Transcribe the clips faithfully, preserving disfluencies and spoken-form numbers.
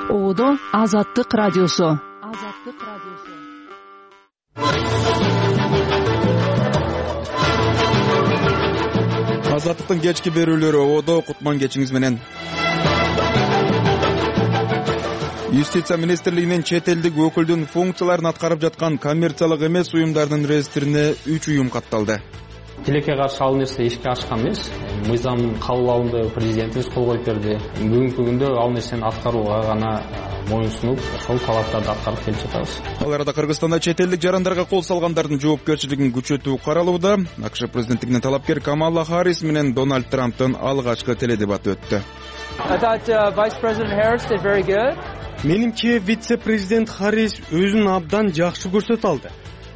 Оодо Азаттык радиосу. Азаттык радиосу. Азаттыктын кечки берүүлөрү Оодо, кутман кечиңиз менен. Юстиция министрлигинин чет элдик өкүлдүн функцияларын аткарып жаткан коммерциялык эмес уюмдардын реестрине үч уюм катталды. Тилекке каршы ал нерсе ишке ашкан эмес. Мыйзам кабыл президентибиз кол коюп берди. Бүгүнкү күндө ал нерсени аткарууга гана моюн сунуп, ошол талаптарды аткарып келип жатабыз. Ал арада Кыргызстанда чет элдик жарандарга кол салгандардын жоопкерчилигин күчөтүү каралууда. АКШ президенттигинин талапкер Камала Харрис менен Дональд Трамптын алгачкы теледебаты өттү. Менимче вице-президент Харрис өзүн абдан жакшы көрсөтө алды.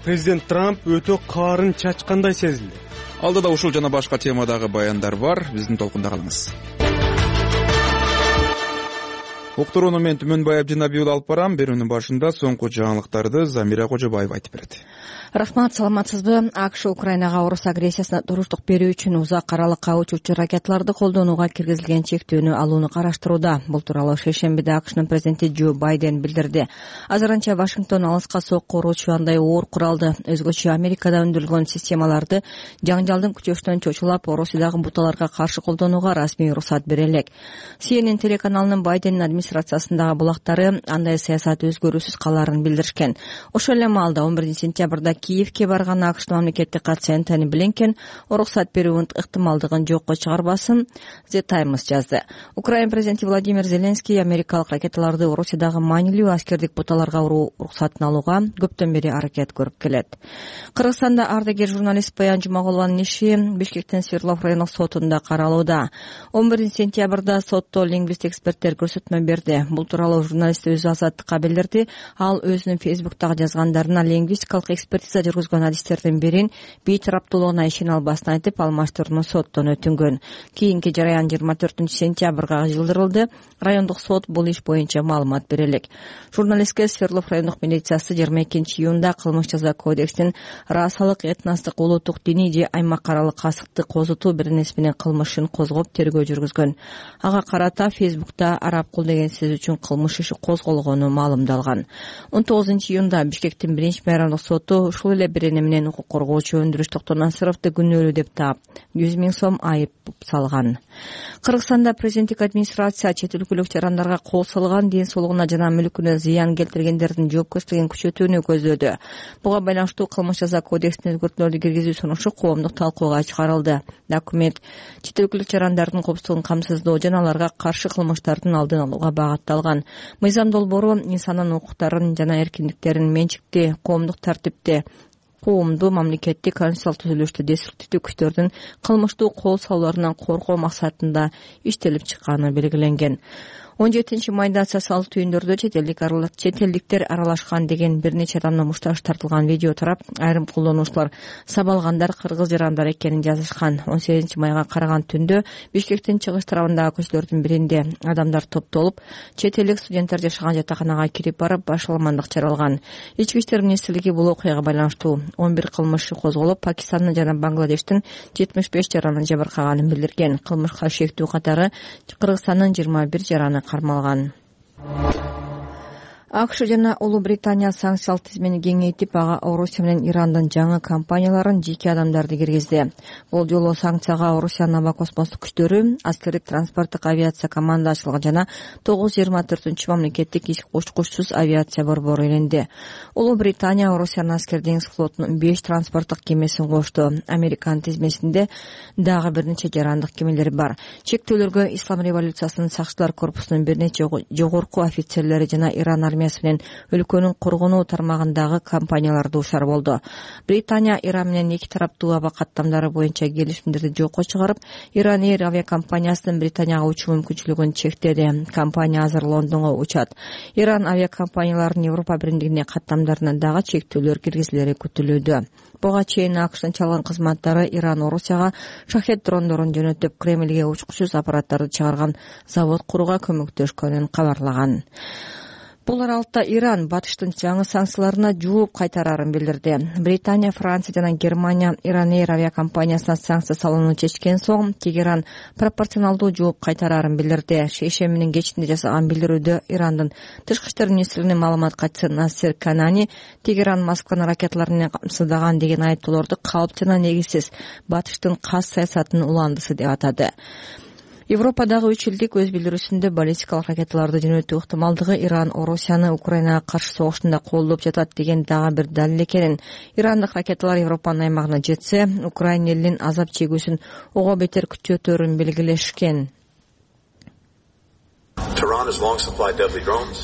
Президент Трамп өтө каарын чачкандай сезилди. Алдыда ушул жана башка темадагы баяндар бар. Биздин толкунда калыңыз. Уктурууну мен Түмөнбай Абдинабиев алып барам. Берүүнүн башында соңку жаңылыктарды Замира Кожобаева айтып берет. Рахмат, саламатсызбы? АКШ Украинага орус агрессиясына туруштук берүү үчүн узак аралыкка учуучу ракеталарды колдонууга киргизилген чектөөнү алууну караштырууда. Бул тууралуу шейшембиде АКШнын президенти Джо Байден билдирди. Азырынча Вашингтон алыска сокко уруучу андай оор куралды, өзгөчө Америкада өндүрүлгөн системаларды жаңжалдын күчөшүнөн чочулап, Орусиядагы буталарга каршы колдонууга расмий уруксат бере элек. Си Эн Эн телеканалынын Байдендин администрациясындагы булактары андай саясат өзгөрүүсүз калаарын билдиришкен. Ошол эле маалда он биринчи сентябрда Киевке барган АКШнын мамлекеттик катчысы Энтони Блинкен уруксат берүүнүн ыктымалдыгын жокко чыгарбасын The Times жазды. Украина президенти Владимир Зеленский америкалык ракеталарды Орусиядагы маанилүү аскердик буталарга уруу уруксатын алууга көптөн бери аракет көрүп келет. Кыргызстанда ардагер журналист Баян Жумагулованын иши Бишкектин Свердлов райондук сотунда каралууда. он биринчи сентябрда сотто лингвист эксперттер көрсөтмө берди. Бул тууралуу журналист өзү Азаттыкка билдирди. Ал өзүнүн Фейсбуктагы жазгандарына лингвистикалык экспертиза жүргүзгөн адистердин бирин бейтараптуулугуна ишене албасын айтып, алмаштырууну соттон өтүнгөн. Кийинки жараян жыйырма төртүнчү сентябрга жылдырылды. Райондук сот бул иш боюнча маалымат бере элек. Журналистке Свердлов райондук милициясы жыйырма экинчи июнда кылмыш жаза кодексинин расалык, этностук, улуттук, диний же аймак аралык касыкты козутуу беренеси менен кылмышын козгоп тергөө жүргүзгөн. Ага карата Фейсбукта арабкул деген сөз үчүн кылмыш иши козголгону маалымдалган. он тогузунчу июнда Бишкектин биринчи майрамдык соту ушул эле берене менен укук коргоочу Өндүрүш Токтонасыровду күнөөлүү деп таап жүз миң сом айып салган. Кыргызстанда президенттик администрация чет өлкөлүк жарандарга кол салган, ден соолугуна жана мүлкүнө зыян келтиргендердин жоопкерчилигин күчөтүүнү көздөдү. Буга байланыштуу кылмыш жаза кодексине өзгөртүүлөрдү киргизүү сунушу коомдук талкууга чыгарылды. Документ чет өлкөлүк жарандардын коопсуздугун камсыздоо жана аларга каршы кылмыштардын алдын алууга багытталган. Мыйзам долбоору инсандын укуктарын жана эркиндиктерин менчикти, коомдук тартипти, коомду, мамлекеттик, конституциялык түзүлүштү, деструктивдүү күчтөрдүн кылмыштуу кол салууларынан коргоо максатында иштелип чыкканы белгиленген. он жетинчи майда социалдык түйүндөрдө чет элдик чет элдиктер аралашкан деген бир нече адамдын мушташы тартылган видео тарап, айрым колдонуучулар сабалгандар кыргыз жарандар экенин жазышкан. он сегизинчи майга караган түндө Бишкектин чыгыш тарабындагы көчөлөрдүн биринде адамдар топтолуп, чет элдик студенттер жашаган жатаканага кирип барып, башаламандык жаралган. Ички иштер министрлиги бул окуяга байланыштуу он бир кылмыш иши козголуп, Пакистандын жана Бангладештин жетимиш беш жараны жабыркаганын билдирген. Кылмышка шектүү катары Кыргызстандын жыйырма бир жараны кармалган. АКШ жана Улуу Британия санкциялык тизмени кеңейтип, ага Орусия менен Ирандын жаңы компанияларын, жеке адамдарды киргизди. Бул жолу санкцияга Орусиянын аба космостук күчтөрү, аскердик транспорттук авиация командачылыгы жана тогуз жүз жыйырма төртүнчү мамлекеттик ич учкучсуз авиация борбору иленди. Улуу Британия Орусиянын аскер деңиз флотунун беш транспорттук кемесин кошту. Американын тизмесинде дагы бир нече жарандык кемелер бар. Чектөөлөргө Ислам революциясынын сакчылар корпусунун бир нече жогорку офицерлери жана Иран армиясы менен өлкөнүн коргонуу тармагындагы компаниялар дуушар болду. Британия Иран менен эки тараптуу аба каттамдары боюнча келишимдерди жокко чыгарып, Иран Air авиакомпаниясынын Британияга учуу мүмкүнчүлүгүн чектеди. Компания азыр Лондонго учат. Иран авиакомпанияларынын Европа биримдигине каттамдарына дагы чектөөлөр киргизилери күтүлүүдө. Буга чейин АКШнын чалган кызматтары Иран Орусияга шахет дрондорун жөнөтүп, Кремльге учкучсуз аппараттарды чыгарган завод курууга көмөктөшкөнүн кабарлаган. Бул аралыкта Иран батыштын жаңы санкцияларына жооп кайтарарын билдирди. Британия, Франция жана Германия Иран Эйр авиакомпаниясына санкция салууну чечкен соң Тегеран пропорционалдуу жооп кайтарарын билдирди. Шейшембинин кечинде жасаган билдирүүдө Ирандын тышкы иштер министринин маалымат катчысы Насер Канани Тегеран Москваны ракеталар менен камсыздаган деген айыптоолорду калп жана негизсиз батыштын кас саясатынын уландысы деп атады. Европадагы үч элдик өз билдирүүсүндө баллистикалык ракеталарды жөнөтүү ыктымалдыгы Иран Орусияны Украинага каршы согушунда колдоп жатат деген дагы бир далил экенин, ирандык ракеталар Европанын аймагына жетсе, Украина элинин азап чегүүсүн ого бетер күчөтөрүн белгилешкен.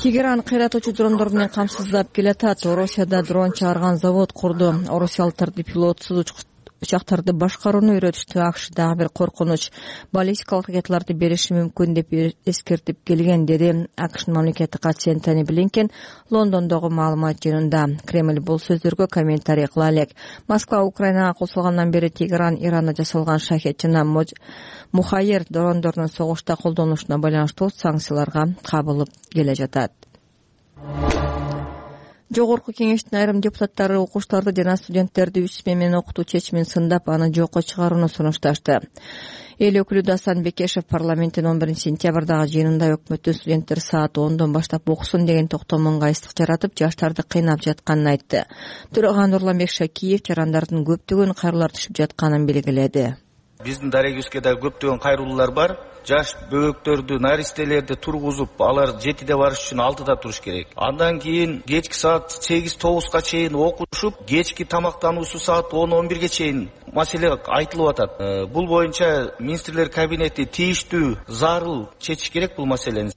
Тегеран кыйратуучу дрондор менен камсыздап келатат. Орусияда дрон чыгарган завод курду. Орусиялыктарды пилотсуз учактарды башкарууну үйрөтүштү. АКШ дагы бир коркунуч баллистикалык ракеталарды бериши мүмкүн деп эскертип келген, деди АКШнын мамлекеттик катчысы Энтони Блинкен Лондондогу маалымат жыйынында. Кремль бул сөздөргө комментарий кыла элек. Москва Украинага кол салгандан бери Тегеран Иранда жасалган шахет жана мухайер дрондордун согушта колдонулушуна байланыштуу санкцияларга кабылып келе жатат. Жогорку кеңештин айрым депутаттары окуучуларды жана студенттерди үч смен менен окутуу чечимин сындап, аны жокко чыгарууну сунушташты. Эл өкүлү Дасан Бекешев парламенттин он биринчи сентябрдагы жыйынында өкмөттүн студенттер саат ондон баштап окусун деген токтомунга ыстык жаратып, жаштарды кыйнап жатканын айтты. Төрөган Нурланбек Шакиев жарандардын көптөгөн кайрылар түшүп жатканын белгиледи. Биздин дарегибизге да көптөгөн кайрылуулар бар. Жаш бөбөктөрдү, наристелерди тургузуп, алар жетиде барыш үчүн алтыда туруш керек. Андан кийин кечки саат сегиз тогузга чейин окушуп, кечки тамактануусу саат он он бирге чейин маселе айтылып атат. Бул боюнча министрлер кабинети тийиштүү, зарыл чечиш керек бул маселени.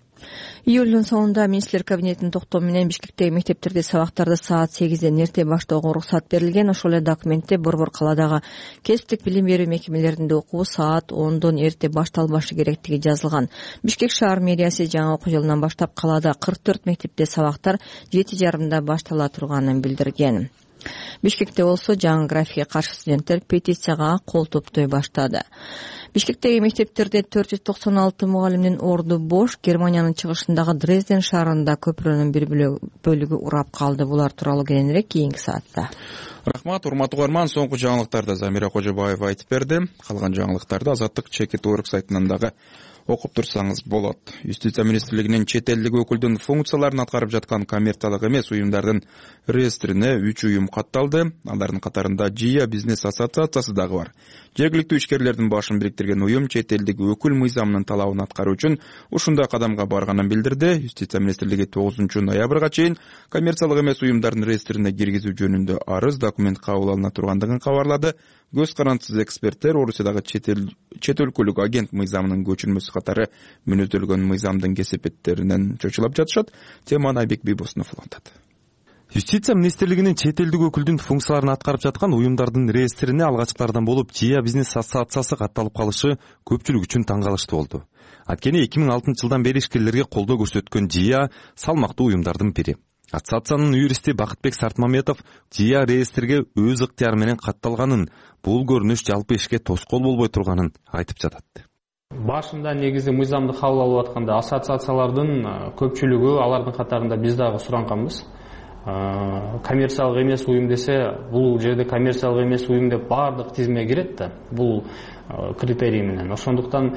Июлдун соңунда министрлер кабинетинин токтому менен Бишкектеги мектептерде сабактарды саат сегизден эрте баштоого уруксат берилген. Ошол эле документте борбор калаадагы кесиптик билим берүү мекемелеринде окуу саат ондон эрте башталбашы керектиги жазылган. Бишкек шаар мэриясы жаңы окуу жылынан баштап калаада кырк төрт мектепте сабактар жети жарымда баштала турганын билдирген. Бишкекте болсо жаңы графикке каршы студенттер петицияга кол топтой баштады. Бишкектеги мектептерде төрт жүз токсон алты мугалимдин орду бош. Германиянын чыгышындагы Дрезден шаарында көпүрөнүн бир бөлүгү урап калды. Булар тууралуу кийинирээк кийинки саатта. Рахмат, урматтуу угарман. Соңку жаңылыктарды Замира Кожобаева айтып берди. Калган жаңылыктарды Азаттык Чекит орг сайтынан дагы окуп турсаңыз болот. Юстиция министрлигинин чет элдик өкүлдүн функцияларын аткарып жаткан коммерциялык эмес уюмдардын реестрине үч уюм катталды. Алардын катарында Джия бизнес ассоциациясы дагы бар. Жергиликтүү ишкерлердин башын бириктирген уюм чет элдик өкүл мыйзамынын талабын аткаруу үчүн ушундай кадамга барганын билдирди. Юстиция министрлиги тогузунчу ноябрга чейин коммерциялык эмес уюмдардын реестрине киргизүү жөнүндө арыз документ кабыл алына тургандыгын кабарлады. Көз карандысыз эксперттер Орусиядагы чет өлкөлүк агент мыйзамынын көчүрмөсү катары мүнөздөлгөн мыйзамдын кесепеттеринен чочулап жатышат. Теманы Айбек Бийбосунов улантат. Юстиция министрлигинин чет элдик өкүлдүн функцияларын аткарып жаткан уюмдардын реестрине алгачкылардан болуп Джия бизнес ассоциациясы катталып калышы көпчүлүк үчүн таң калыштуу болду. Анткени эки миң алтынчы жылдан бери ишкерлерге колдоо көрсөткөн Джия салмактуу уюмдардын бири. Ассоциациянын юристи Бакытбек Сартмаметов Джия реестрге өз ыктыяры менен катталганын, бул көрүнүш жалпы ишке тоскоол болбой турганын айтып жатат. Башында негизи мыйзамды кабыл алып атканда ассоциациялардын көпчүлүгү, алардын катарында биз дагы суранганбыз. Коммерциялык эмес уюм десе, бул жерде коммерциялык эмес уюм деп баардык тизиме кирет да. Бул критерий менен. Ошондуктан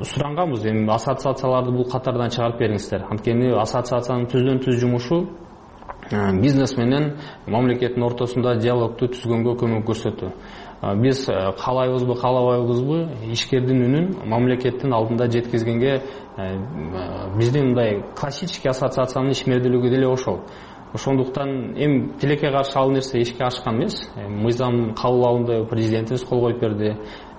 суранганбыз, эми ассоциацияларды бул катардан чыгарып бериңиздер. Анткени ассоциациянын түздөн түз жумушу бизнес менен мамлекеттин ортосунда диалогду түзгөнгө көмөк көрсөтүү. Биз каалайбызбы, каалабайбызбы, ишкердин үнүн мамлекеттин алдында жеткизгенге биздин мындай классический ассоциациянын ишмердүүлүгү деле ошол. Ошондуктан эми тилекке каршы ал нерсе ишке ашкан эмес. Мыйзам кабыл алынды, президентибиз кол коюп берди.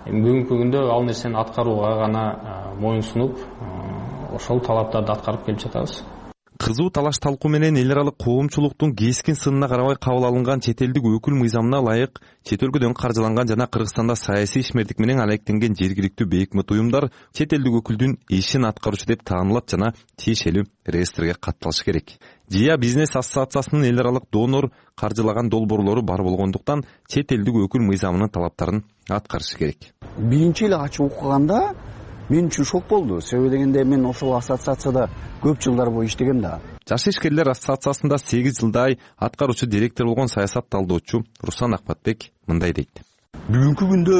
Бүгүнкү күндө ал нерсени аткарууга гана моюнсунуп, ошол талаптарды аткарып келип жатабыз. Кызуу талаш талкуу менен эл аралык коомчулуктун кескин сынына карабай кабыл алынган чет элдик өкүл мыйзамына ылайык чет өлкөдөн каржыланган жана Кыргызстанда саясий ишмердик менен алектенген жергиликтүү бейөкмөт уюмдар чет элдик өкүлдүн ишин аткаруучу деп таанылат жана тиешелүү реестрге катталышы керек. Джия бизнес ассоциациясынын эл аралык донор каржылаган долбоорлору бар болгондуктан чет элдик өкүл мыйзамынын талаптарын аткарышы керек. Биринчи эле ачып окуганда мен үчүн шок болду. Себеби дегенде мен ошол ассоциацияда көп жылдар бою иштегем да. Жаш ишкерлер ассоциациясында сегиз жылдай аткаруучу директор болгон саясат талдоочу Руслан Акбатбек мындай дейт. Бүгүнкү күндө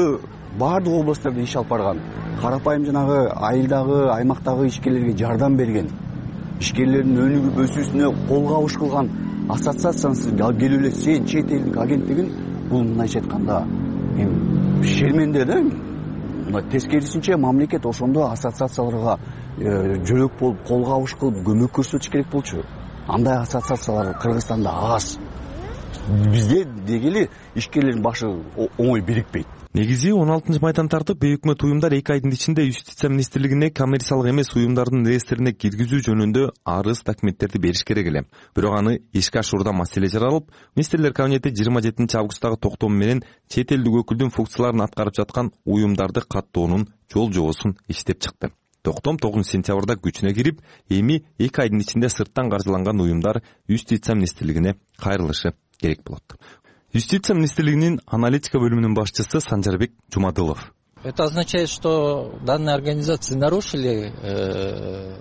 баардык областтарда иш алып барган, карапайым жанагы айылдагы, аймактагы ишкерлерге жардам берген, ишкерлердин өнүгүп өсүүсүнө кол кабыш кылган ассоциацияны алып келип эле сен чет элдик агенттигин, бул мындайча айтканда эми шерменде да. Мына тескерисинче мамлекет ошондо ассоциацияларга жөрөк болуп, кол кабыш кылып, көмөк көрсөтүш керек болчу. Андай ассоциациялар Кыргызстанда аз. Бизде дегели ишкерлердин башы оңой бирикпейт. Негизи он алтынчы майдан тартып бейөкмөт уюмдар эки айдын ичинде Юстиция министрлигине коммерциялык эмес уюмдардын реестрине киргизүү жөнүндө арыз документтерди бериш керек эле. Бирок аны ишке ашуурда маселе жаралып, министрлер кабинети жыйырма жетинчи августтагы токтому менен чет элдик өкүлдүн функцияларын аткарып жаткан уюмдарды каттоонун жол жобосун иштеп чыкты. Токтом тогузунчу сентябрда күчүнө кирип, эми эки айдын ичинде сырттан каржыланган уюмдар Юстиция министрлигине кайрылышы керек болот. Юстиция министрлигинин аналитика бөлүмүнүн башчысы Санжарбек Жумадылов. Это означает, что данные организации нарушили.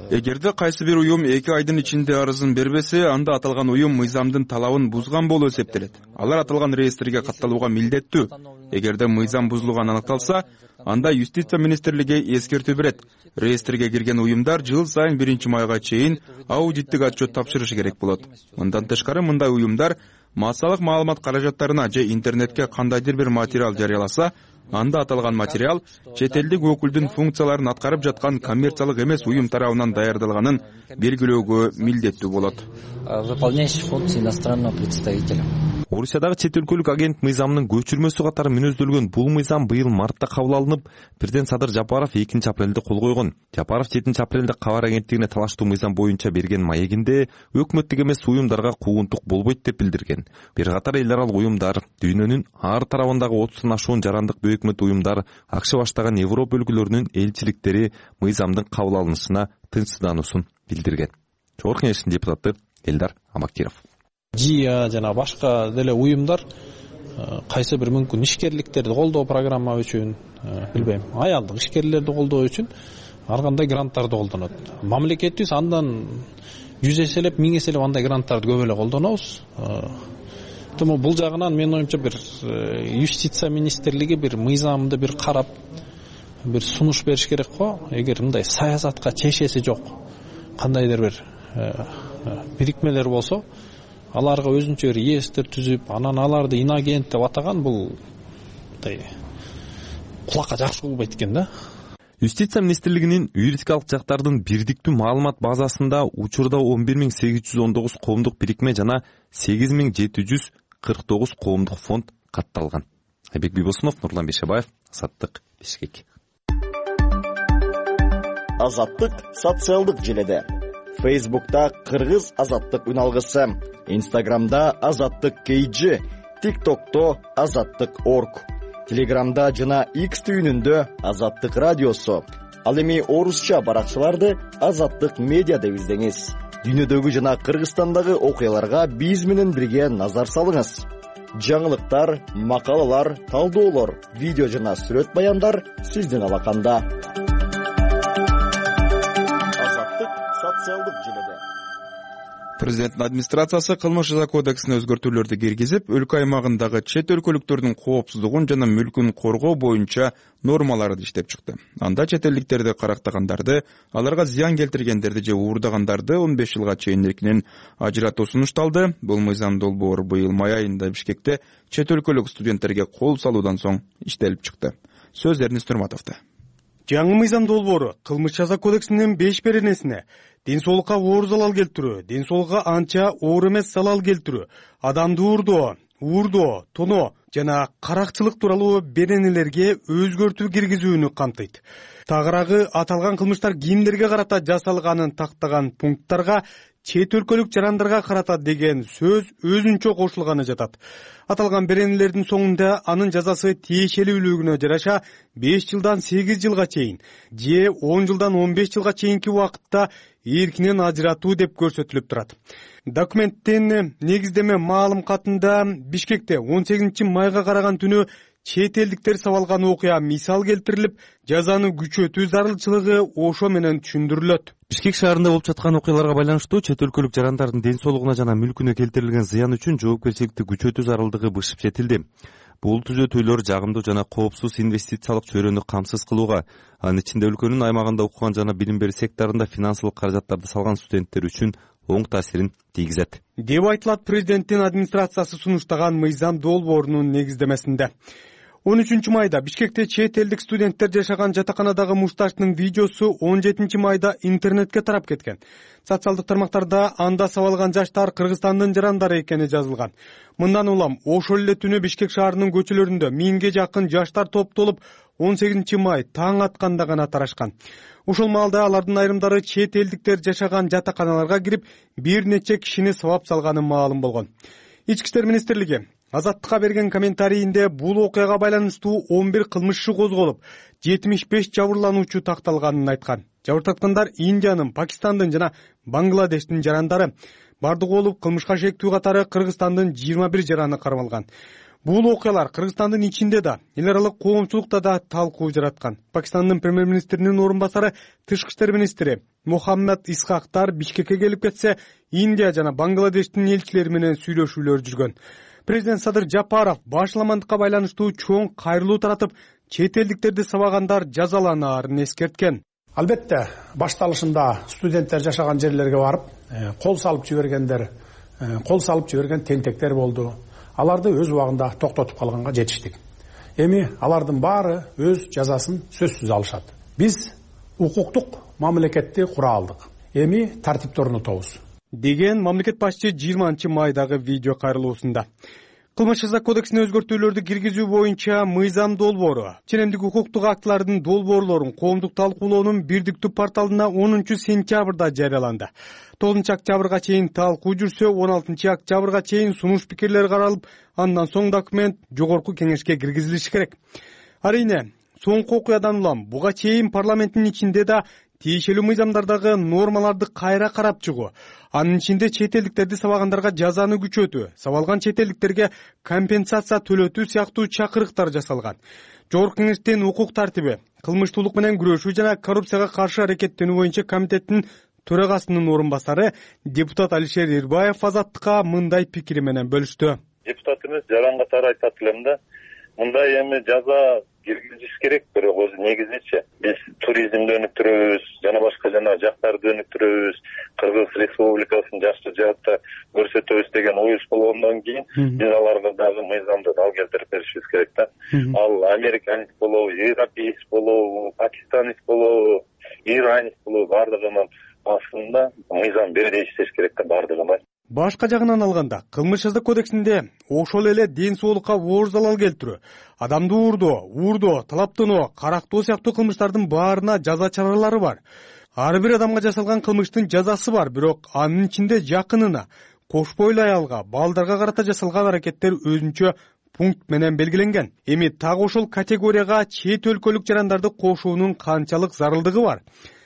Эгерде кайсы бир уюм эки айдын ичинде арызын бербесе, анда аталган уюм мыйзамдын талабын бузган болуп эсептелет. Алар аталган реестрге катталууга милдеттүү. Эгерде мыйзам бузулганы аныкталса, анда Юстиция министрлиги эскертүү берет. Реестрге кирген уюмдар жыл сайын биринчи майга чейин аудиттик отчет тапшырышы керек болот. Мындан тышкары мындай уюмдар массалык маалымат каражаттарына же интернетке кандайдыр бир материал жарыяласа, анда аталган материал чет элдик өкүлдүн функцияларын аткарып жаткан коммерциялык эмес уюм тарабынан даярдалганын белгилөөгө милдеттүү болот. Выполняющий функции иностранного представителя. Орусиядагы чет өлкөлүк агент мыйзамынын көчүрмөсү катары мүнөздөлгөн бул мыйзам быйыл мартта кабыл алынып, президент Садыр Жапаров экинчи апрелде кол койгон. Жапаров жетинчи апрелде кабар агенттигине талаштуу мыйзам боюнча берген маегинде өкмөттүк эмес уюмдарга куугунтук болбойт деп билдирген. Бир катар эл аралык уюмдар, дүйнөнүн ар тарабындагы отуздон ашуун жарандык бейөкмөт уюмдар, акча баштаган Европа өлкөлөрүнүн элчиликтери мыйзамдын кабыл алынышына тынчсыздануусун билдирген. Чогорку Кеңештин депутаты Элдар Амакиров. ЖИА жана башка деле уюмдар кайсы бир мүмкүн ишкерликтерди колдоо программа үчүн, билбейм, аялдык ишкерлерди колдоо үчүн ар кандай гранттарды колдонот. Мамлекетибиз андан жүз эселеп, миң эселеп андай гранттарды көп эле колдонобуз. Тому бул жагынан менин оюмча бир Юстиция министрлиги бир мыйзамды бир карап, бир сунуш бериш керек го. Эгер мындай саясатка чешеси жок кандайдыр бир бирикмелер болсо, аларга өзүнчө бир реестр түзүп, анан аларды инагент деп атаган бул мындай кулакка жакшы болбойт экен да. Юстиция министрлигинин юридикалык жактардын бирдиктүү маалымат базасында учурда он бир миң сегиз жүз он тогуз коомдук бирикме жана сегиз миң жети жүз кырк тогуз коомдук фонд катталган. Айбек Бибосунов, Нурлан Бешебаев, Азаттык, Бишкек. Азаттык социалдык желеде. Фейсбукта Кыргыз Азаттык үналгысы, Инстаграмда Азаттык кейджи, ТикТокто Азаттык орг, Телеграмда жана X түйүнүндө Азаттык радиосу. Ал эми орусча баракчаларды Азаттык медиа деп издеңиз. Дүйнөдөгү жана Кыргызстандагы окуяларга биз менен бирге назар салыңыз. Жаңылыктар, макалалар, талдоолор, видео жана сүрөт баяндар сиздин алаканда. Азаттык социалдык желеде. Президенттин администрациясы кылмыш жаза кодексине өзгөртүүлөрдү киргизип, өлкө аймагындагы чет өлкөлүктөрдүн коопсуздугун жана мүлкүн коргоо боюнча нормаларды иштеп чыкты. Анда чет элдиктерди карактагандарды, аларга зыян келтиргендерди же уурдагандарды он беш жылга чейин эркинен ажыратуу сунушталды. Бул мыйзам долбоор быйыл май айында Бишкекте чет өлкөлүк студенттерге кол салуудан соң иштелип чыкты. Сөз Эрнест Нурматовдо. Жаңы мыйзам долбоору кылмыш жаза кодексинин беш беренесине ден соолукка оор залал келтирүү, ден соолукка анча оор эмес залал келтирүү, адамды уурдоо, уурдоо, тоноо жана каракчылык тууралуу беренелерге өзгөртүү киргизүүнү камтыйт. Тагыраагы аталган кылмыштар кимдерге карата жасалганын тактаган пункттарга чет өлкөлүк жарандарга карата деген сөз өзүнчө кошулганы жатат. Аталган беренелердин соңунда анын жазасы тиешелүүлүгүнө жараша беш жылдан сегиз жылга чейин же он жылдан он беш жылга чейинки убакытта эркинен ажыратуу деп көрсөтүлүп турат. Документтин негиздеме маалым катында Бишкекте он сегизинчи майга караган түнү чет элдиктер сабалган окуя мисал келтирилип, жазаны күчөтүү зарылчылыгы ошо менен түшүндүрүлөт. Бишкек шаарында болуп жаткан окуяларга байланыштуу чет өлкөлүк жарандардын ден соолугуна жана мүлкүнө келтирилген зыян үчүн жоопкерчиликти күчөтүү зарылдыгы бышып жетилди. Бул түзөтүүлөр жагымдуу жана коопсуз инвестициялык чөйрөнү камсыз кылууга, анын ичинде өлкөнүн аймагында окуган жана билим берүү секторунда финансылык каражаттарды салган студенттер үчүн оң таасирин тийгизет деп айтылат президенттин администрациясы сунуштаган мыйзам долбоорунун негиздемесинде. он үчүнчү майда Бишкекте чет элдик студенттер жашаган жатаканадагы мушташтын видеосу он жетинчи майда интернетке тарап кеткен. Социалдык тармактарда анда сабалган жаштар Кыргызстандын жарандары экени жазылган. Мындан улам ошол эле түнү Бишкек шаарынын көчөлөрүндө миңге жакын жаштар топтолуп он сегизинчи май таң атканда гана тарашкан. Ошол маалда алардын айрымдары чет элдиктер жашаган жатаканаларга кирип бир нече кишини сабап салганы маалым болгон. Ички иштер министрлиги Азаттыкка берген комментарийинде бул окуяга байланыштуу он бир кылмыш иши козголуп, жетимиш беш жабырлануучу такталганын айткан. Жабыртаткандар Индиянын, Пакистандын жана Бангладештин жарандары. Бардыгы болуп кылмышка шектүү катары Кыргызстандын жыйырма бир жараны кармалган. Бул окуялар Кыргызстандын ичинде да, эл аралык коомчулукта да талкуу жараткан. Пакистандын премьер-министринин орун басары, тышкы иштер министри Мухаммад Исхактар Бишкекке келип кетсе, Индия жана Бангладештин элчилери менен сүйлөшүүлөр жүргөн. Президент Садыр Жапаров башаламандыкка байланыштуу чоң кайрылуу таратып, чет элдиктерди сабагандар жазаланаарын эскерткен. Албетте, башталышында студенттер жашаган жерлерге барып, кол салып жибергендер, кол салып жиберген тентектер болду. Аларды өз убагында токтотуп калганга жетиштик. Эми алардын баары өз жазасын сөзсүз алышат. Биз укуктук мамлекетти кура алдык. Эми тартипти орнотобуз деген мамлекет башчы жыйырманчы майдагы видео кайрылуусунда. Кылмыш жаза кодексине өзгөртүүлөрдү киргизүү боюнча мыйзам долбоору ченемдик укуктук актылардын долбоорлорун коомдук талкуулоонун бирдиктүү порталына онунчу сентябрда жарыяланды. тогузунчу октябрга чейин талкуу жүрсө, он алтынчы октябрга чейин сунуш пикирлер каралып, андан соң документ жогорку кеңешке киргизилиши керек. Арийне, соңку окуядан улам буга чейин парламенттин ичинде да тиешелүү мыйзамдардагы нормаларды кайра карап чыгуу, анын ичинде чет элдиктерди сабагандарга жазаны күчөтүү, сабалган чет элдиктерге компенсация төлөтүү сыяктуу чакырыктар жасалган. Жогорку кеңештин укук тартиби, кылмыштуулук менен күрөшүү жана коррупцияга каршы аракеттенүү боюнча комитеттин төрагасынын орун басары депутат Алишер Ирбаев Азаттыкка мындай пикири менен бөлүштү. Депутатыбыз жаран катары айтат элем да, мындай эми жаза киргизиш керек, бирок өзү негизичи биз туризмди өнүктүрөбүз, жана башка жана жактарды өнүктүрөбүз, Кыргыз Республикасын жакшы жаатта көрсөтөбүз деген оюбуз болгондон кийин биз аларга дагы мыйзамды дал келтирип беришибиз керек да. Ал американец болобу, европеец болобу, пакистанец болобу, иранец болобу, бардыгынын астында мыйзам бирдей иштеш керек да бардыгына. Башка жагынан алганда, кылмыш жаза кодексинде ошол эле ден соолукка оор залал келтирүү, адамды уурдоо, уурдоо, талаптануу, карактоо сыяктуу кылмыштардын баарына жаза чаралары бар. Ар бир адамга жасалган кылмыштын жазасы бар, бирок анын ичинде жакынына, кош бойлуу аялга, балдарга карата жасалган аракеттер өзүнчө пункт менен белгиленген. Эми так ошол категорияга чет өлкөлүк жарандарды кошуунун канчалык зарылдыгы бар?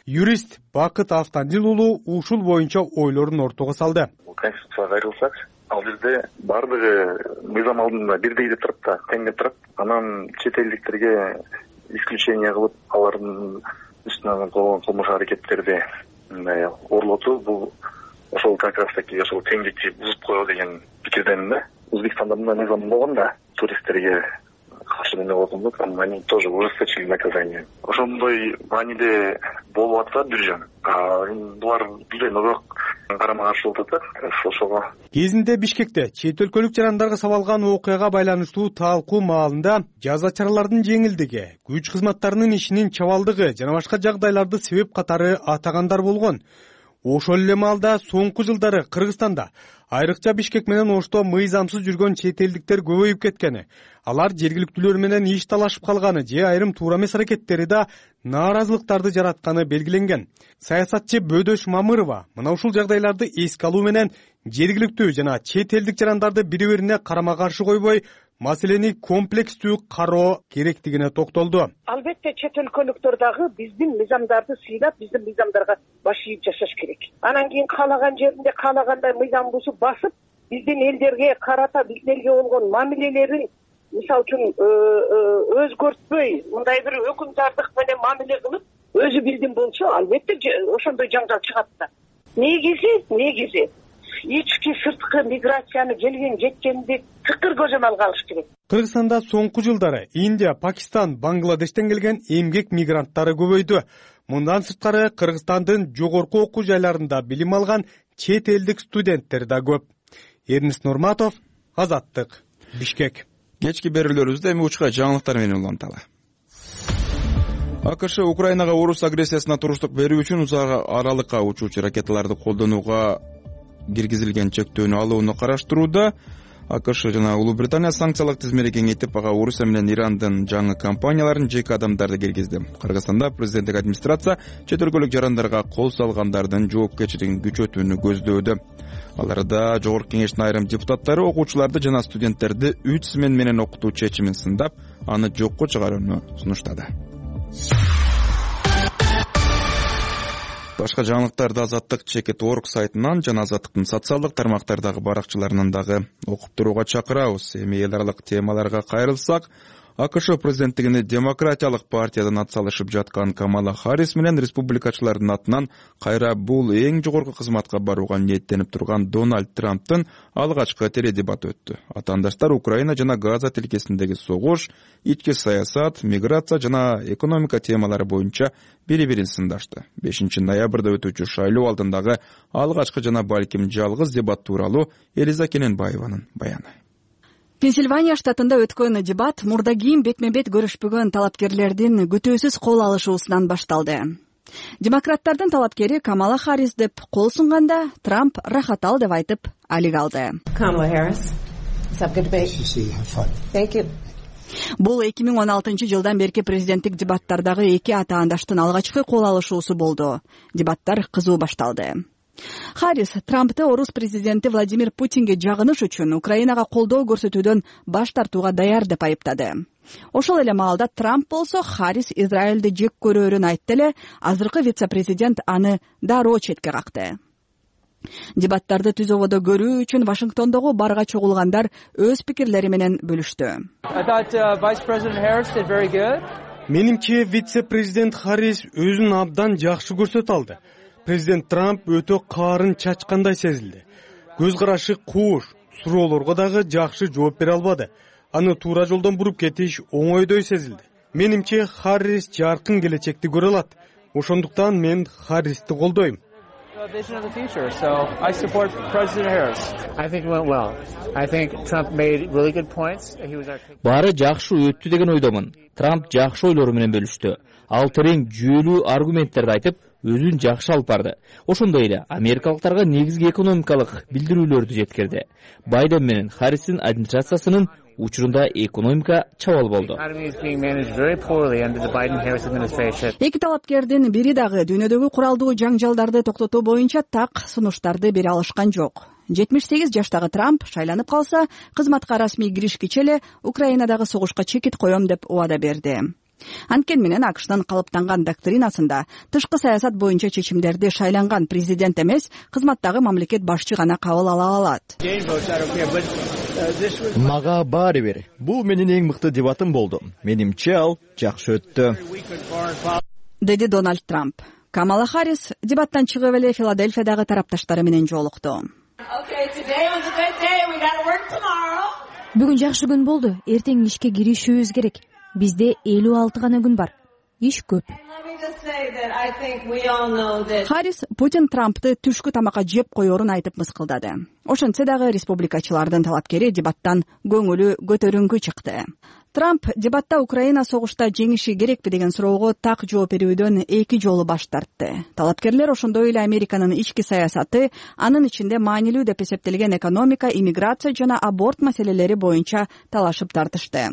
Юрист Бакыт Автандил уулу ушул боюнча ойлорун ортого салды. Конституцияга кайрылсак, ал жерде бардыгы мыйзам алдында бирдей деп турат да, тең деп турат. Анан чет элдиктерге исключение кылып, алардын үстүнөн болгон кылмыш аракеттерди мындай орлотуу, бул ошол как раз таки ошол теңдикти бузуп коебу деген пикирдемин да. Өзбекстанда мындай мыйзам болгон да, туристтерге каршы неме болгон да, там они тоже ужесточили наказание. Ошондой мааниде болуп атса бир жөн. Булар билбейм, бирок карама каршы болуп атат ошого. Кезинде Бишкекте чет өлкөлүк жарандарга сабалган окуяга байланыштуу талкуу маалында жаза чаралардын жеңилдиги, күч кызматтарынын ишинин чабалдыгы жана башка жагдайларды себеп катары атагандар болгон. Ошол эле маалда соңку жылдары Кыргызстанда айрыкча Бишкек менен Ошто мыйзамсыз жүргөн чет элдиктер көбөйүп кеткени, алар жергиликтүүлөр менен иш талашып калганы же айрым туура эмес аракеттери да нааразылыктарды жаратканы белгиленген. Саясатчы Бөдөш Мамырова мына ушул жагдайларды эске алуу менен жергиликтүү жана чет элдик жарандарды бири-бирине карама каршы койбой, маселени комплекстүү кароо керектигине токтолду. Албетте чет өлкөлүктөр дагы биздин мыйзамдарды сыйлап, биздин мыйзамдарга баш ийип жашаш керек. Анан кийин каалаган жеринде каалагандай мыйзам бузуп басып, биздин элдерге карата, биздин элге болгон мамилелерин мисалы үчүн өзгөртпөй мындай бир өкүмдардык менен мамиле кылып өзү билдим болсо, албетте ошондой жаңжал чыгат да. Негизи, негизи ички сырткы миграцияны келген жеткенди тыкыр көзөмөлгө алыш керек. Кыргызстанда соңку жылдары Индия, Пакистан, Бангладештен келген эмгек мигранттары көбөйдү. Мындан сырткары Кыргызстандын жогорку окуу жайларында билим алган чет элдик студенттер да көп. Эрнис Нурматов, Азаттык, Бишкек. Кечки берүүлөрүбүздө эми учка жаңылыктар менен уланталы. АКШ Украинага орус агрессиясына туруштук берүү үчүн узак аралыкка учуучу ракеталарды колдонууга киргизилген чектөөнү алууну караштырууда. АКШ жана Улуу Британия санкциялык тизмени кеңейтип, ага Орусия менен Ирандын жаңы компанияларын, жеке адамдарды киргизди. Кыргызстанда президенттик администрация чет өлкөлүк жарандарга кол салгандардын жоопкерчилигин күчөтүүнү көздөөдө. Аларда Жогорку Кеңештин айрым депутаттары окуучуларды жана студенттерди үч смен менен окутуу чечимин сындап, аны жокко чыгарууну сунуштады. Башка жаңылыктарды Азаттык чекит точка орг сайтынан жана Азаттыктын социалдык тармактардагы баракчаларынан дагы окуп турууга чакырабыз. Эми эл аралык темаларга кайрылсак, АКШ президенттигине демократиялык партиядан атсалышып жаткан Камала Харрис менен республикачылардын атынан кайра бул эң жогорку кызматка барууга ниеттенип турган Дональд Трамптын алгачкы теледебаты өттү. Атаандаштар Украина жана Газа тилкесиндеги согуш, ички саясат, миграция жана экономика темалары боюнча бири-бирин сындашты. бешинчи ноябрда өтүүчү шайлоо алдындагы алгачкы жана балким жалгыз дебат тууралуу Элиза Кененбаеванын баяны. Пенсильвания штатында өткөн дебат мурда кийин бетме-бет көрүшпөгөн талапкерлердин күтүүсүз кол алышуусунан башталды. Демократтардын талапкери Камала Харрис деп кол сунганда, Трамп рахат ал деп айтып, алик алды. Бул эки миң он алтынчы жылдан берки президенттик дебаттардагы эки атаандаштын алгачкы кол алышуусу болду. Дебаттар кызуу башталды. Харрис Трампты орус президенти Владимир Путинге жагыныш үчүн Украинага колдоо көрсөтүүдөн баш тартууга даяр деп айыптады. Ошол эле маалда Трамп болсо Харрис Израилди жек көрөөрүн айтты эле, азыркы вице-президент аны дароо четке какты. Дебаттарды түз ободо көрүү үчүн Вашингтондогу барга чогулгандар өз пикирлери менен бөлүштү. Менимче вице-президент Харрис өзүн абдан жакшы көрсөтө алды. Президент Трамп өтө каарын чачкандай сезилди. Көз карашы кууш, суроолорго дагы жакшы жооп бере албады. Аны туура жолдон буруп кетиш оңойдой сезилди. Менимче Харрис жаркын келечекти көрө алат. Ошондуктан мен Харристи колдойм. Баары жакшы өттү деген ойдомун. Трамп жакшы ойлору менен бөлүштү. Ал терең жүйөлүү аргументтерди айтып, өзүн жакшы алып барды. Ошондой эле америкалыктарга негизги экономикалык билдирүүлөрдү жеткирди. Байден менен Харристин администрациясынын учурунда экономика чабал болду. Эки талапкердин бири дагы дүйнөдөгү куралдуу жаңжалдарды токтотуу боюнча так сунуштарды бере алышкан жок. жетимиш сегиз жаштагы Трамп шайланып калса, кызматка расмий киришкиче эле Украинадагы согушка чекит коем деп убада берди. Анткени менен АКШнын калыптанган доктринасында тышкы саясат боюнча чечимдерди шайланган президент эмес, кызматтагы мамлекет башчы гана кабыл ала алат. Мага баары бир. Бул менин эң мыкты дебатым болду. Менимче ал жакшы өттү, деди Дональд Трамп. Камала Харрис дебаттан чыгып эле Филадельфиядагы тарапташтары менен жолукту. Бүгүн жакшы күн болду. Эртең ишке киришүүбүз керек. Бизде элүү алты гана күн бар. Иш көп. Харрис Путин Трампты түшкү тамакка жеп коерун айтып мыскылдады. Ошентсе дагы республикачылардын талапкери дебаттан көңүлү көтөрүңкү чыкты. Трамп дебатта Украина согушта жеңиши керекпи деген суроого так жооп берүүдөн эки жолу баш тартты. Талапкерлер ошондой эле Американын ички саясаты, анын ичинде маанилүү деп эсептелген экономика, иммиграция жана аборт маселелери боюнча талашып тартышты.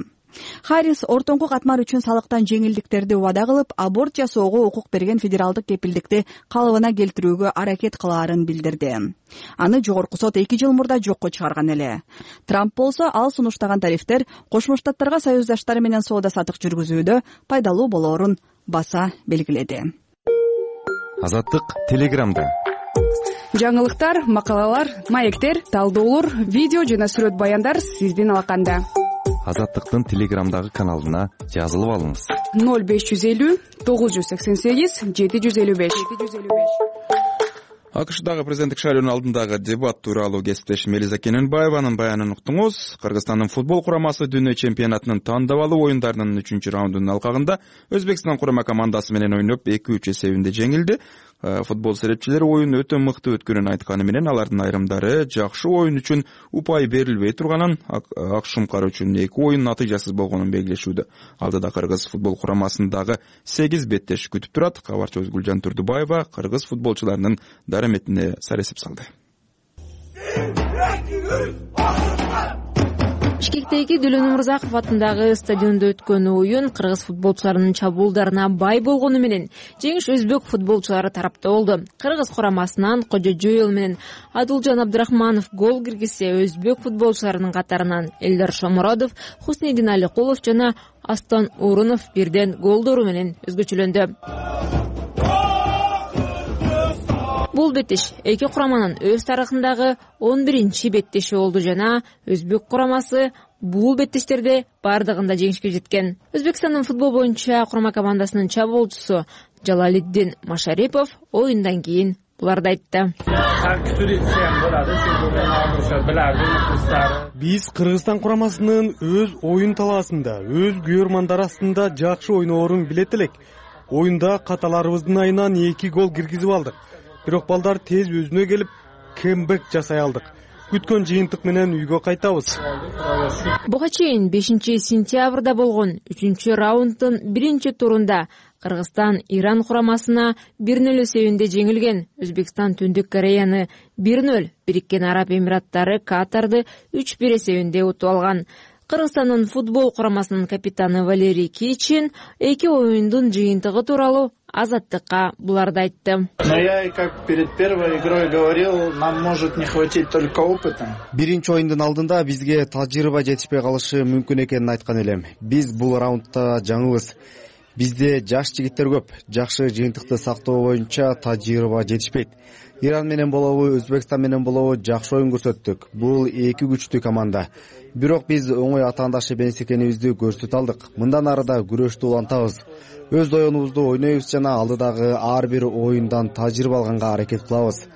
Харрис ортоңку катмар үчүн салыктан жеңилдиктерди убада кылып, аборт жасоого укук берген федералдык кепилдикти калыбына келтирүүгө аракет кылаарын билдирди. Аны жогорку сот эки жыл мурда жокко чыгарган эле. Трамп болсо ал сунуштаган тарифтер Кошмо Штаттарга союздаштары менен соода сатык жүргүзүүдө пайдалуу болоорун баса белгиледи. Азаттык Телеграмда. Жаңылыктар, макалалар, маектер, талдоолор, видео жана сүрөт баяндар сиздин алаканда. Азаттыктын Телеграмдагы каналына жазылып алыңыз. ноль беш жүз элүү тогуз жүз сексен сегиз жети жүз элүү беш. АКШдагы президенттик шайлоонун алдындагы дебат тууралуу кесиптешим Элиза Кененбаеванын баянын уктуңуз. Кыргызстандын футбол курамасы дүйнө чемпионатынын тандабалуу оюндарынын үчүнчү раундунун алкагында Өзбекстан курама командасы менен ойноп эки үч эсебинде жеңилди. Футбол серепчилери оюн өтө мыкты өткөнүн айтканы менен алардын айрымдары жакшы оюн үчүн упай берилбей турганын, ак шумкар үчүн эки оюн натыйжасыз болгонун белгилешүүдө. Алдыда Кыргыз футбол курамасындагы сегиз беттеш күтүп турат. Кабарчыбыз Гүлжан Турдубаева кыргыз футболчуларынын дараметине саресип салды. Бишкектеги Дөлөн Умурзаков атындагы стадиондо өткөн оюн кыргыз футболчуларынын чабуулдарына бай болгону менен жеңиш өзбек футболчулары тарапта болду. Кыргыз курамасынан Кожо Жоел менен Адылжан Абдрахманов гол киргизсе, өзбек футболчуларынын катарынан Элдар Шомородов, Хуснедин Аликулов жана Астан Урунов бирден голдору менен өзгөчөлөндү. Бул беттеш эки кураманын өз тарыхындагы он биринчи беттеши болду жана өзбек курамасы бул беттештерде бардыгында жеңишке жеткен. Өзбекстандын футбол боюнча курама командасынын чабуулчусу Жалалиддин Машарипов оюндан кийин буларды айтты. Биз Кыргызстан курамасынын өз оюн талаасында, өз күйөрмандар астында жакшы ойноорун билет элек. Оюнда каталарыбыздын айынан эки гол киргизип алдык. Бирок балдар тез өзүнө келип, кембек жасай алдык. Күткөн жыйынтык менен үйгө кайтабыз. Буга чейин бешинчи сентябрда болгон үчүнчү раунддун биринчи турунда Кыргызстан Иран курамасына бир нөл эсебинде жеңилген. Өзбекстан Түндүк Кореяны бир нөл, Бириккен Араб Эмираттары Катарды үч бир эсебинде утуп алган. Кыргызстандын футбол курамасынын капитаны Валерий Кичин эки оюндун жыйынтыгы тууралуу Азаттыкка буларды айтты. Но я и как перед первой игрой говорил, нам может не хватить только опыта. Биринчи оюндун алдында бизге тажрыйба жетишпей калышы мүмкүн экенин айткан элем. Биз бул раундда жаңыбыз. Бизде жаш жигиттер көп. Жакшы жыйынтыкты сактоо боюнча тажрыйба жетишпейт. Иран менен болобу, Өзбекстан менен болобу жакшы оюн көрсөттүк. Бул эки күчтүү команда. Бирок биз оңой атаандашы эмес экенибизди көрсөтө алдык. Мындан ары да күрөштү улантабыз. Өз оюнубузду ойнойбуз жана алдыдагы ар бир оюндан тажрыйба алганга аракет кылабыз.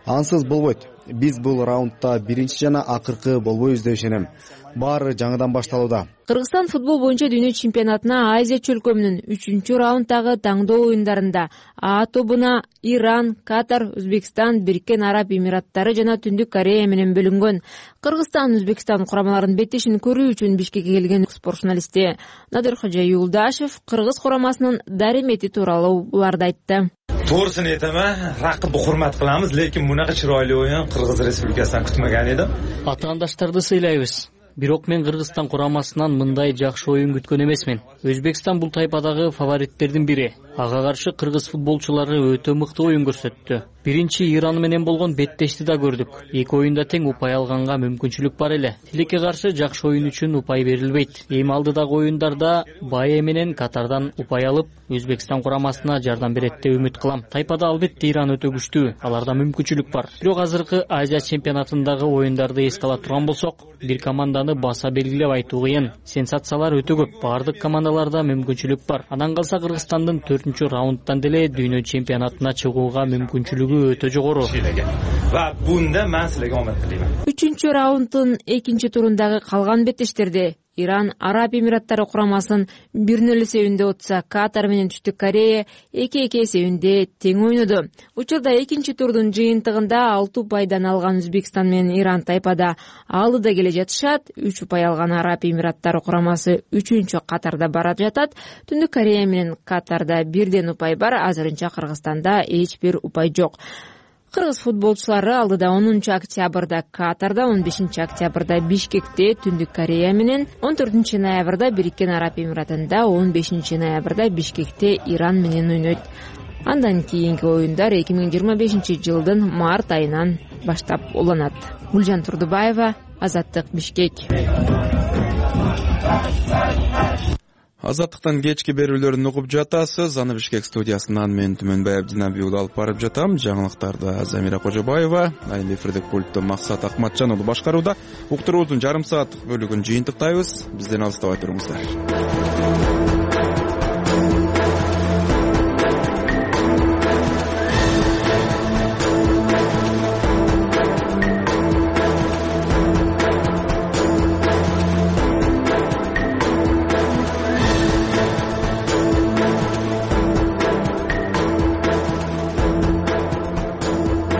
Ансыз болбойт. Биз бул раундда биринчи жана акыркы болбойбуз деп ишенем. Баары жаңыдан башталууда. Кыргызстан футбол боюнча дүйнө чемпионатына Азия чөлкөмүнүн үчүнчү раунддагы таңдоо оюндарында А тобуна Иран, Катар, Өзбекстан, Бириккен Араб Эмираттары жана Түндүк Корея менен бөлүнгөн. Кыргызстан Өзбекстан курамаларынын беттешин көрүү үчүн Бишкекке келген спорт журналисти Надыркожа Юлдашев кыргыз курамасынын даремети тууралуу буларды айтты. To'g'risini aytaman, raqibni hurmat qilamiz, lekin bunaqa chiroyli o'yin Qirg'iz Respublikasidan kutmagan edim. Атаандаштарды сыйлайбыз. Бирок мен Кыргызстан курамасынан мындай жакшы оюн күткөн эмесмин. Өзбекстан бул тайпадагы фавориттердин бири. Ага каршы кыргыз футболчулары өтө мыкты оюн көрсөттү. Биринчи Иран менен болгон беттешти да көрдүк. Эки оюнда тең упай алганга мүмкүнчүлүк бар эле. Тилекке каршы жакшы оюн үчүн упай берилбейт. Эми алдыдагы оюндарда Бае менен Катардан упай алып, Өзбекстан курамасына жардам берет деп үмүт кылам. Тайпада албетте Иран өтө күчтүү. Аларда мүмкүнчүлүк бар. Бирок азыркы Азия чемпионатындагы оюндарды эске ала турган болсок, бир команданы баса белгилеп айтуу кыйын. Сенсациялар өтө көп. Бардык командаларда мүмкүнчүлүк бар. Андан калса Кыргызстандын төртүнчү раундтан деле дүйнө чемпионатына чыгууга мүмкүнчүлүгү өтө жогору. Va bunda men sizlarga omad tilayman. Үчүнчү раунддун экинчи турундагы калган беттештерде Иран Араб Эмираттары курамасын бир нөл эсебинде утса, Катар менен Түштүк Корея эки эки эсебинде тең ойноду. Учурда экинчи турдун жыйынтыгында алты упайдан алган Өзбекстан менен Иран тайпада алдыда келе жатышат. үч упай алган Араб Эмираттары курамасы үчүнчү катарда бара жатат. Түндүк Корея менен Катарда бирден упай бар. Азырынча Кыргызстанда эч бир упай жок. Кыргыз футболчулары алдыда онунчу октябрда Катарда, он бешинчи октябрда Бишкекте Түндүк Корея менен, он төртүнчү ноябрда Бириккен Араб Эмиратында, он бешинчи ноябрда Бишкекте Иран менен ойнойт. Андан кийинки оюндар эки миң жыйырма бешинчи жылдын март айынан баштап уланат. Гүлжан Турдубаева, Азаттык, Бишкек. Азаттыктан кечки берүүлөрүн угуп жатасыз. Аны Бишкек студиясынан мен Түмөнбай Абдинабий уулу алып барып жатам. Жаңылыктарды Замира Кожобаева, айым эфирдик пультту Максат Акматжан уулу башкарууда. Уктуруубуздун жарым сааттык бөлүгүн жыйынтыктайбыз. Бизден алыстабай туруңуздар.